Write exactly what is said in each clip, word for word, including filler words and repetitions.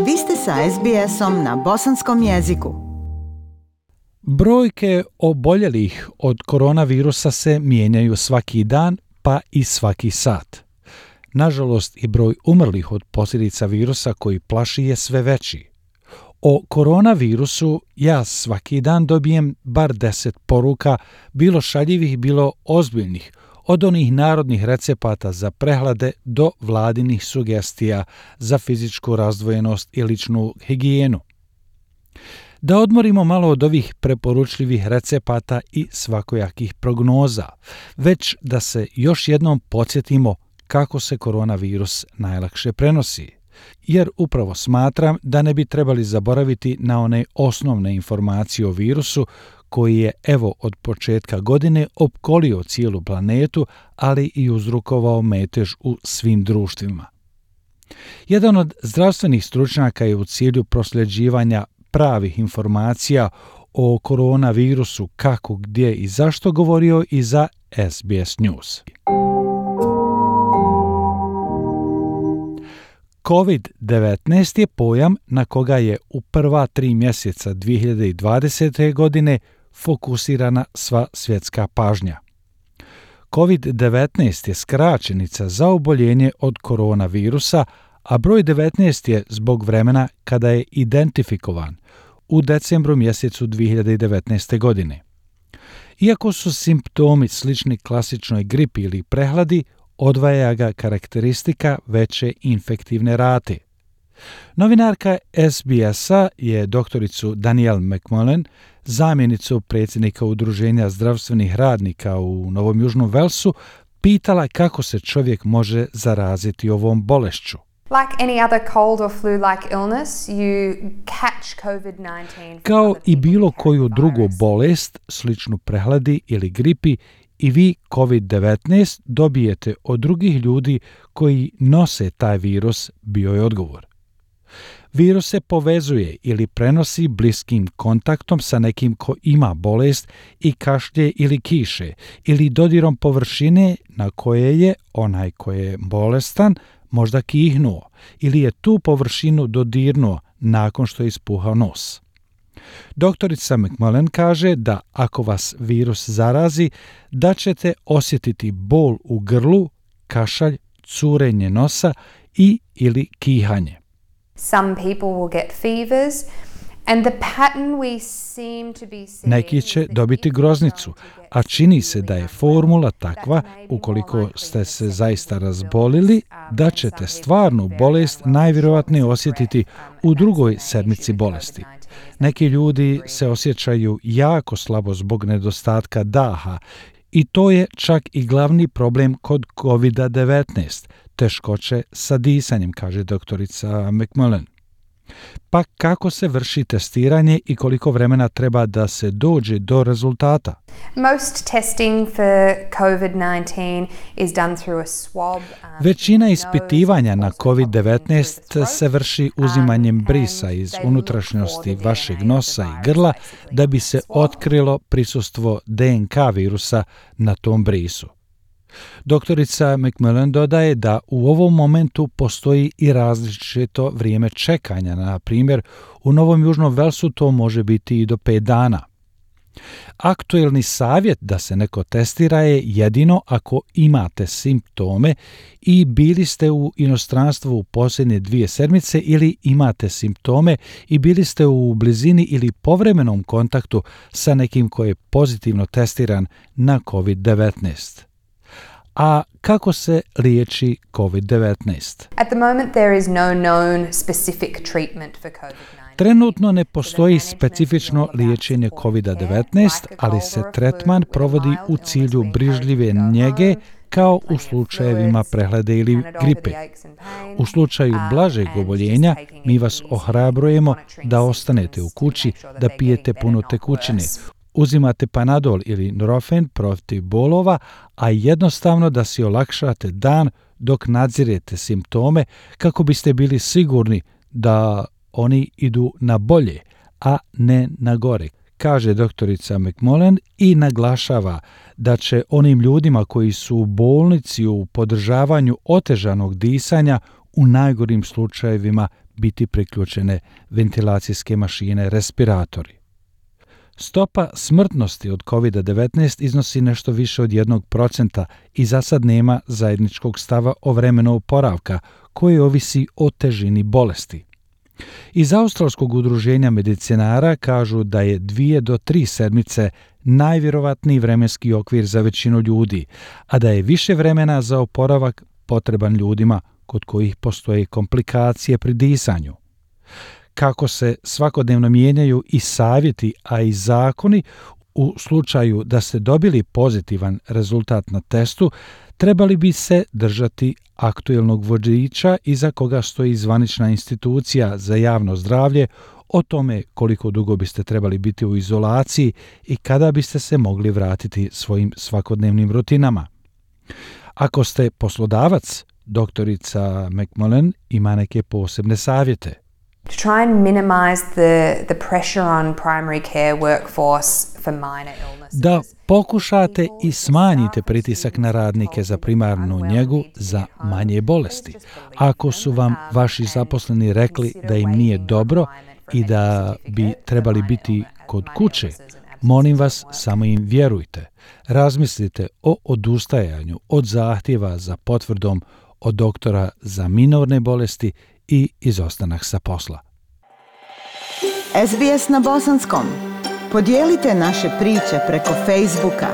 Vi ste sa es be esom na bosanskom jeziku. Brojke oboljelih od koronavirusa se mijenjaju svaki dan, pa i svaki sat. Nažalost, i broj umrlih od posljedica virusa koji plaši je sve veći. O koronavirusu ja svaki dan dobijem bar deset poruka, bilo šaljivih, bilo ozbiljnih, od onih narodnih recepata za prehlade do vladinih sugestija za fizičku razdvojenost i ličnu higijenu. Da odmorimo malo od ovih preporučljivih recepata i svakojakih prognoza, već da se još jednom podsjetimo kako se koronavirus najlakše prenosi. Jer upravo smatram da ne bi trebali zaboraviti na one osnovne informacije o virusu koji je evo od početka godine opkolio cijelu planetu, ali i uzrokovao metež u svim društvima. Jedan od zdravstvenih stručnjaka je u cilju prosljeđivanja pravih informacija o koronavirusu kako, gdje i zašto govorio i za es be es News. kovid devetnaest je pojam na koga je u prva tri mjeseca dvije hiljade dvadesete. godine fokusirana sva svjetska pažnja. kovid devetnaest je skraćenica za oboljenje od koronavirusa, a broj devetnaest je zbog vremena kada je identifikovan u decembru mjesecu dvije hiljade devetnaeste. godine. Iako su simptomi slični klasičnoj gripi ili prehladi, odvaja ga karakteristika veće infektivne rate. Novinarka es be esa je doktoricu Danielle McMullen, zamjenicu predsjednika Udruženja zdravstvenih radnika u Novom Južnom Velsu, pitala kako se čovjek može zaraziti ovom bolešću. Like any other cold or flu-like illness, you catch covid nineteen. Kao i bilo koju drugu bolest, sličnu prehladi ili gripi, i vi kovid devetnaest dobijete od drugih ljudi koji nose taj virus, bio je odgovor. Virus se povezuje ili prenosi bliskim kontaktom sa nekim ko ima bolest i kašlje ili kiše, ili dodirom površine na koje je onaj koji je bolestan možda kihnuo, ili je tu površinu dodirnuo nakon što je ispuhao nos. Doktorica McMullen kaže da ako vas virus zarazi, da ćete osjetiti bol u grlu, kašalj, curenje nosa i ili kihanje. Some people will get fevers and the pattern we seem to be seeing. Neki će dobiti groznicu, a čini se da je formula takva, ukoliko ste se zaista razbolili, da ćete stvarnu bolest najvjerojatnije osjetiti u drugoj sedmici bolesti. Neki ljudi se osjećaju jako slabo zbog nedostatka daha i to je čak i glavni problem kod kovid devetnaest, teškoće sa disanjem, kaže doktorica McMullen. Pa kako se vrši testiranje i koliko vremena treba da se dođe do rezultata? Most testing for covid nineteen is done through a swab. Um, Većina ispitivanja na kovid devetnaest se vrši uzimanjem brisa iz unutrašnjosti vašeg nosa i grla da bi se otkrilo prisustvo de en ka virusa na tom brisu. Doktorica McMullen dodaje da u ovom momentu postoji i različito vrijeme čekanja, na primjer u Novom Južnom Velsu to može biti i do pet dana. Aktuelni savjet da se neko testira je jedino ako imate simptome i bili ste u inostranstvu u posljednje dvije sedmice ili imate simptome i bili ste u blizini ili povremenom kontaktu sa nekim koji je pozitivno testiran na kovid devetnaest. A kako se liječi kovid devetnaest? At the moment there is no known specific treatment for covid nineteen. Trenutno ne postoji specifično liječenje kovid devetnaest, ali se tretman provodi u cilju brižljive njege kao u slučajevima prehlade ili gripe. U slučaju blažeg oboljenja mi vas ohrabrujemo da ostanete u kući, da pijete puno tekućine, uzimate Panadol ili Nurofen protiv bolova, a jednostavno da si olakšate dan dok nadzirete simptome kako biste bili sigurni da oni idu na bolje, a ne na gore, kaže doktorica McMullen i naglašava da će onim ljudima koji su u bolnici u podržavanju otežanog disanja u najgorim slučajevima biti priključene ventilacijske mašine, respiratori. Stopa smrtnosti od kovid devetnaest iznosi nešto više od jednog procenta i za sad nema zajedničkog stava o vremenu oporavka koji ovisi o težini bolesti. Iz Australskog udruženja medicinara kažu da je dvije do tri sedmice najvjerovatniji vremenski okvir za većinu ljudi, a da je više vremena za oporavak potreban ljudima kod kojih postoje komplikacije pri disanju. Kako se svakodnevno mijenjaju i savjeti, a i zakoni, u slučaju da ste dobili pozitivan rezultat na testu, trebali bi se držati aktuelnog vodiča iza koga stoji zvanična institucija za javno zdravlje o tome koliko dugo biste trebali biti u izolaciji i kada biste se mogli vratiti svojim svakodnevnim rutinama. Ako ste poslodavac, doktorica McMullen ima neke posebne savjete. To try and minimize the, the pressure on primary care workforce for minor illnesses. Da pokušate i smanjite pritisak na radnike za primarnu njegu za manje bolesti. Ako su vam vaši zaposleni rekli da im nije dobro i da bi trebali biti kod kuće, molim vas, samo im vjerujte. Razmislite o odustajanju od zahtjeva za potvrdom od doktora za minorne bolesti i izostanak sa posla. S B S na bosanskom. Podijelite naše priče preko Facebooka.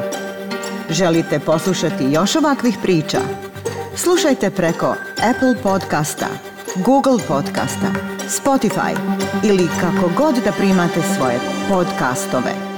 Želite poslušati još ovakvih priča? Slušajte preko Apple podcasta, Google podcasta, Spotify ili kako god da primate svoje podcastove.